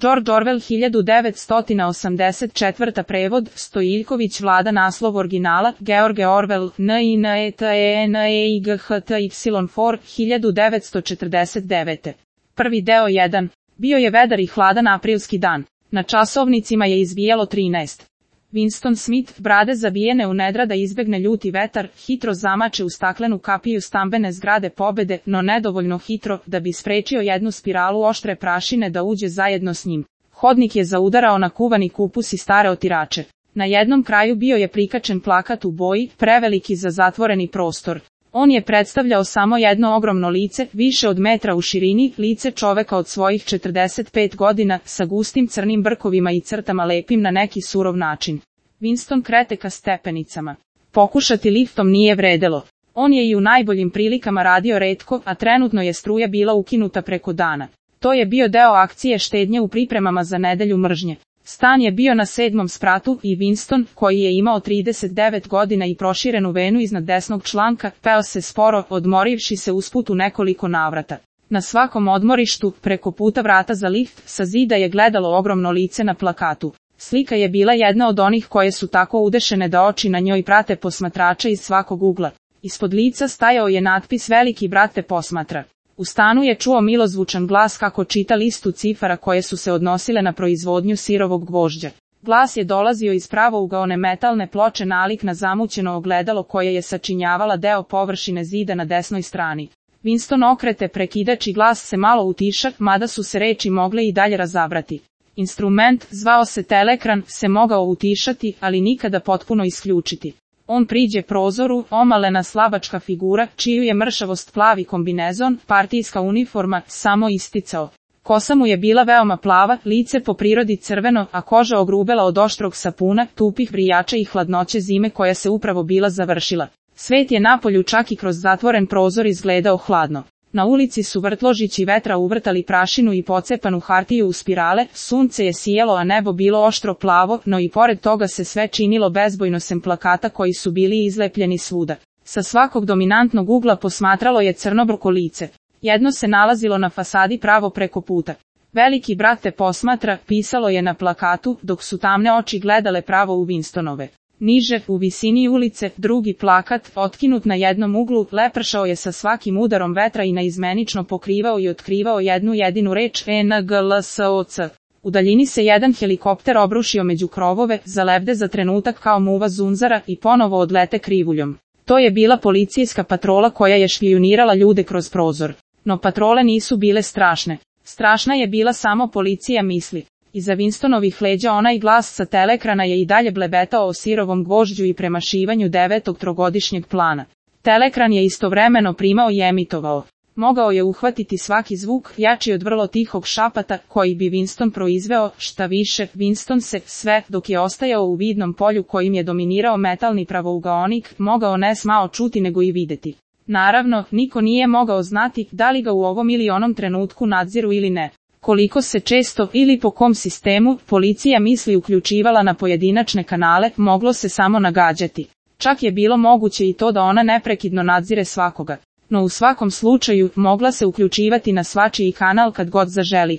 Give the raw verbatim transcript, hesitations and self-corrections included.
George Orwell hiljadu devetsto osamdeset četvrta prevod, Stojiljković Vlada naslov originala, George Orwell, nineteen four, hiljadu devetsto četrdeset devete. Prvi deo jedan. Bio je vedar i hladan aprilski dan. Na časovnicima je izbijalo trinaest. Winston Smith, brade zabijene u nedra da izbegne ljuti vetar, hitro zamače u staklenu kapiju stambene zgrade pobede, no nedovoljno hitro, da bi sprečio jednu spiralu oštre prašine da uđe zajedno s njim. Hodnik je zaudarao na kuvani kupus i stare otirače. Na jednom kraju bio je prikačen plakat u boji, preveliki za zatvoreni prostor. On je predstavljao samo jedno ogromno lice, više od metra u širini, lice čoveka od svojih četrdeset pet godina, sa gustim crnim brkovima i crtama lepim na neki surov način. Winston krete ka stepenicama. Pokušati liftom nije vredelo. On je i u najboljim prilikama radio retko, a trenutno je struja bila ukinuta preko dana. To je bio deo akcije štednje u pripremama za nedelju mržnje. Stan je bio na sedmom spratu i Winston, koji je imao trideset devet godina i proširenu venu iznad desnog članka, peo se sporo, odmorivši se usput u nekoliko navrata. Na svakom odmorištu, preko puta vrata za lift, sa zida je gledalo ogromno lice na plakatu. Slika je bila jedna od onih koje su tako udešene da oči na njoj prate posmatrača iz svakog ugla. Ispod lica stajao je natpis Veliki brat te posmatra. U stanu je čuo milozvučan glas kako čita listu cifara koje su se odnosile na proizvodnju sirovog gvožđa. Glas je dolazio iz pravougaone metalne ploče nalik na zamućeno ogledalo koje je sačinjavala deo površine zida na desnoj strani. Winston okrete prekidač i glas se malo utiša, mada su se reči mogle i dalje razabrati. Instrument, zvao se telekran, se mogao utišati, ali nikada potpuno isključiti. On priđe prozoru, omalena slavačka figura, čiju je mršavost plavi kombinezon, partijska uniforma, samo isticao. Kosa mu je bila veoma plava, lice po prirodi crveno, a koža ogrubela od oštrog sapuna, tupih vrijača i hladnoće zime koja se upravo bila završila. Svet je napolju čak i kroz zatvoren prozor izgledao hladno. Na ulici su vrtložići vetra uvrtali prašinu i pocepanu hartiju u spirale, sunce je sijalo a nebo bilo oštro plavo, no i pored toga se sve činilo bezbojno sem plakata koji su bili izlepljeni svuda. Sa svakog dominantnog ugla posmatralo je crnobrko lice. Jedno se nalazilo na fasadi pravo preko puta. Veliki brat te posmatra, pisalo je na plakatu, dok su tamne oči gledale pravo u Winstonove. Niže, u visini ulice, drugi plakat, otkinut na jednom uglu, lepršao je sa svakim udarom vetra i naizmenično pokrivao i otkrivao jednu jedinu reč E N G L S O C. U daljini se jedan helikopter obrušio među krovove, zalebde za trenutak kao muva zunzara i ponovo odlete krivuljom. To je bila policijska patrola koja je špijunirala ljude kroz prozor. No patrole nisu bile strašne. Strašna je bila samo policija misli. Iza Winstonovih leđa onaj glas sa telekrana je i dalje blebetao o sirovom gvožđu i premašivanju devetog trogodišnjeg plana. Telekran je istovremeno primao i emitovao. Mogao je uhvatiti svaki zvuk, jači od vrlo tihog šapata, koji bi Winston proizveo, šta više, Winston se, sve, dok je ostajao u vidnom polju kojim je dominirao metalni pravougaonik, mogao ne smao čuti nego i videti. Naravno, niko nije mogao znati da li ga u ovom ili onom trenutku nadziru ili ne. Koliko se često ili po kom sistemu policija misli uključivala na pojedinačne kanale, moglo se samo nagađati. Čak je bilo moguće i to da ona neprekidno nadzire svakoga. No u svakom slučaju mogla se uključivati na svačiji kanal kad god zaželi.